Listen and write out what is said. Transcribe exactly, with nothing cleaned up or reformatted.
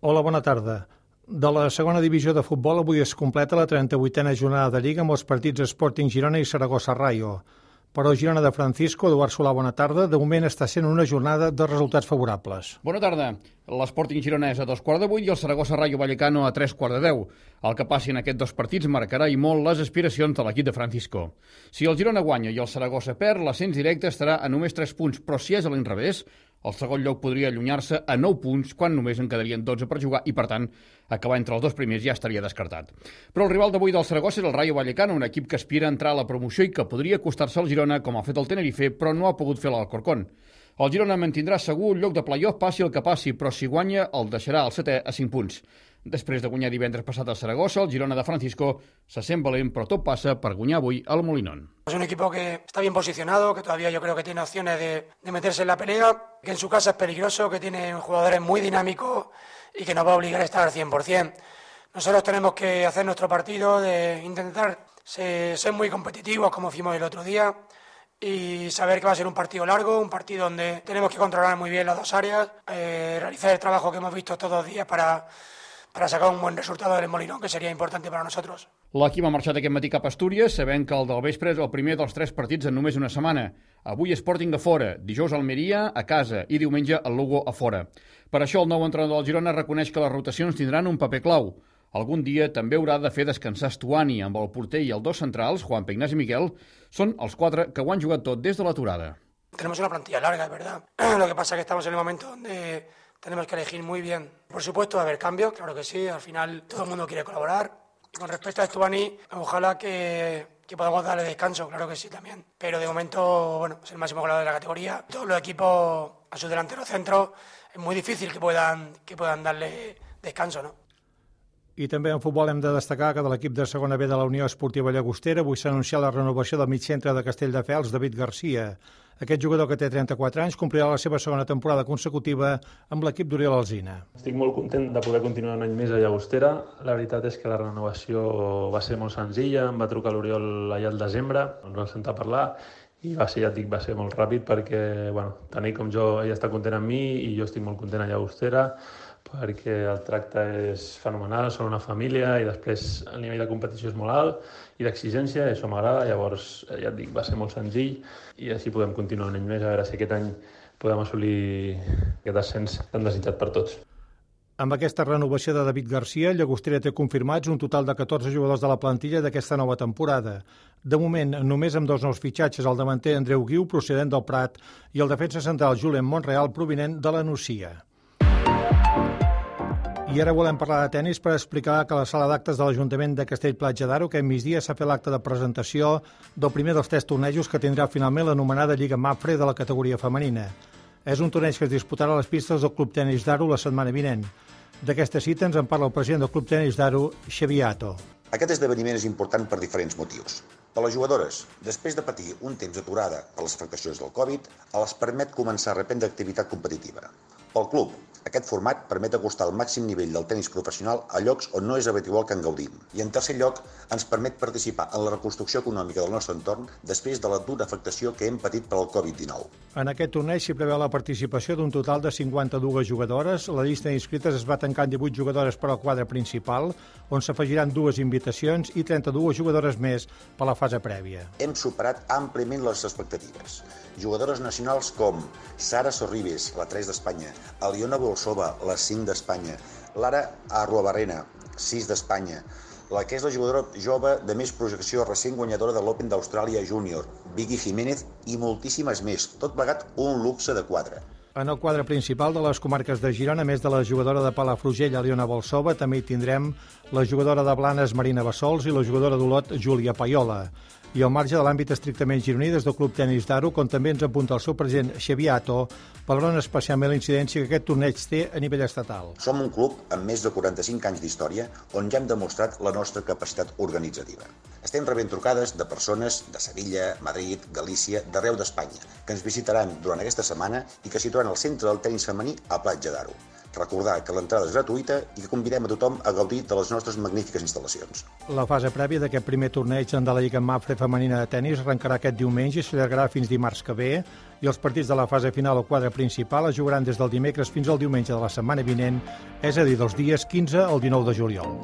Hola, bona tarda. De la segona divisió de futbol avui es completa la trenta-vuitena jornada de Lliga amb els partits Sporting Girona i Saragossa Rayo. Però Girona de Francisco, Eduard Solà, bona tarda. De moment està sent una jornada de resultats favorables. Bona tarda. L'Sporting Girona és a dos quarts de vuit i el Saragossa Rayo Vallecano a tres quarts de deu. El que passi en aquests dos partits marcarà i molt les aspiracions de l'equip de Francisco. Si el Girona guanya i el Saragossa perd, l'ascens directe estarà a només tres punts, però si és a l'inrevés, el segon lloc podria allunyar-se a nou punts quan només en quedarien dotze per jugar i, per tant, acabar entre els dos primers ja estaria descartat. Però el rival d'avui del Saragossa és el Rayo Vallecano, un equip que aspira a entrar a la promoció i que podria costar-se al Girona, com ha fet el Tenerife, però no ha pogut fer l'Alcorcón. El Girona mantindrà segur un lloc de play-off passi el que passi, però si guanya el deixarà al setè a cinc punts. Després de guanyar divendres passat a Saragossa, el Girona de Francisco se sent valent, però tot passa per guanyar avui al Molinón. Es un equipo que está bien posicionado, que todavía yo creo que tiene opciones de, de meterse en la pelea, que en su casa es peligroso, que tiene jugadores muy dinámicos y que nos va a obligar a estar al cien por ciento. Nosotros tenemos que hacer nuestro partido, de intentar ser, ser muy competitivos como fuimos el otro día y saber que va a ser un partido largo, un partido donde tenemos que controlar muy bien las dos áreas, eh, realizar el trabajo que hemos visto todos los días para... para sacar un bon resultat del Molinón, que seria important per a nosaltres. L'equip ha marxat aquest matí cap a Astúries, sabent que el del vespre és el primer dels tres partits en només una setmana. Avui Sporting a fora, dijous Almeria a casa i diumenge el Lugo a fora. Per això el nou entrenador del Girona reconeix que les rotacions tindran un paper clau. Algun dia també haurà de fer descansar Stuani amb el porter i els dos centrals, Juan Ignasi i Miquel, són els quatre que ho han jugat tot des de l'aturada. Tenemos una plantilla larga, es verdad. Lo que pasa es que estamos en el momento donde tenemos que elegir muy bien. Por supuesto va a haber cambios, claro que sí, al final todo el mundo quiere colaborar. Y con respecto a Stuani, ojalá que, que podamos darle descanso, claro que sí también. Pero de momento, bueno, es el máximo goleador de la categoría. Todos los equipos a sus delanteros centros es muy difícil que puedan, que puedan darle descanso, ¿no? I també en futbol hem de destacar que de l'equip de segona B de la Unió Esportiva Llagostera avui s'ha anunciat la renovació del migcentre de Castelldefels, David Garcia. Aquest jugador, que té trenta-quatre anys, complirà la seva segona temporada consecutiva amb l'equip d'Oriol Alsina. Estic molt content de poder continuar un any més a Llagostera. La veritat és que la renovació va ser molt senzilla. Em va trucar l'Oriol allà al desembre, ens vam sentar a parlar i va ser, ja et dic, va ser molt ràpid perquè, bueno, tant ell com jo, ell està content amb mi i jo estic molt content a Llagostera perquè el tracte és fenomenal, són una família i després el nivell de competició és molt alt i d'exigència, i això m'agrada. Llavors, ja et dic, va ser molt senzill i així podem continuar un any més, a veure si aquest any podem assolir aquest ascens tan desitjat per tots. Amb aquesta renovació de David Garcia, Llagostera té confirmats un total de catorze jugadors de la plantilla d'aquesta nova temporada. De moment, només amb dos nous fitxatges, el davanter Andreu Guiu, procedent del Prat, i el defensa central Julen Monreal, provinent de la Nucia. I ara volem parlar de tennis per explicar que a la sala d'actes de l'Ajuntament de Castell-Platja d'Aro aquest migdia s'ha fet l'acte de presentació del primer dels tres tornejos que tindrà finalment l'anomenada Lliga Mapfre de la categoria femenina. És un torneig que es disputarà a les pistes del Club Tenis d'Aro la setmana vinent. D'aquesta cita ens en parla el president del Club Tenis d'Aro, Xavier Atto. Aquest esdeveniment és important per diferents motius. Per les jugadores, després de patir un temps aturada per les afectacions del Covid, els permet començar a reprendre activitat competitiva. Pel club, aquest format permet acostar el màxim nivell del tenis professional a llocs on no és habitual que en gaudim. I en tercer lloc, ens permet participar en la reconstrucció econòmica del nostre entorn després de la dura afectació que hem patit per al Covid dinou. En aquest torneig s'hi preveu la participació d'un total de cinquanta-dues jugadores. La llista d'inscrites es va tancar en divuit jugadores per al quadre principal, on s'afegiran dues invitacions i trenta-dues jugadores més per la fase prèvia. Hem superat àmpliament les expectatives. Jugadores nacionals com Sara Sorribes, la tres d'Espanya, Aliona Bolsova, la cinc d'Espanya, Lara Arruabarrena, sis d'Espanya, la que és la jugadora jove de més projecció recent guanyadora de l'Open d'Austràlia Júnior, Vicky Jiménez i moltíssimes més, tot plegat un luxe de quadre. En el quadre principal de les comarques de Girona, a més de la jugadora de Palafrugell, Aliona Bolsova, també hi tindrem la jugadora de Blanes, Marina Bassols, i la jugadora d'Olot, Júlia Paiola. I al marge de l'àmbit estrictament gironí, des del Club Tenis d'Aro, com també ens apunta el seu president Xavier Atto, valorant especialment la incidència que aquest torneig té a nivell estatal. Som un club amb més de quaranta-cinc anys d'història on ja hem demostrat la nostra capacitat organitzativa. Estem rebent trucades de persones de Sevilla, Madrid, Galícia, d'arreu d'Espanya, que ens visitaran durant aquesta setmana i que situaran el centre del tenis femení a Platja d'Aro. Recordar que l'entrada és gratuïta i que convidem a tothom a gaudir de les nostres magnífiques instal·lacions. La fase prèvia d'aquest primer torneig de la Lliga Mapfre femenina de tennis arrencarà aquest diumenge i s'allargarà fins dimarts que ve, i els partits de la fase final o quadre principal es jugaran des del dimecres fins al diumenge de la setmana vinent, és a dir, dels dies quinze al dinou de juliol.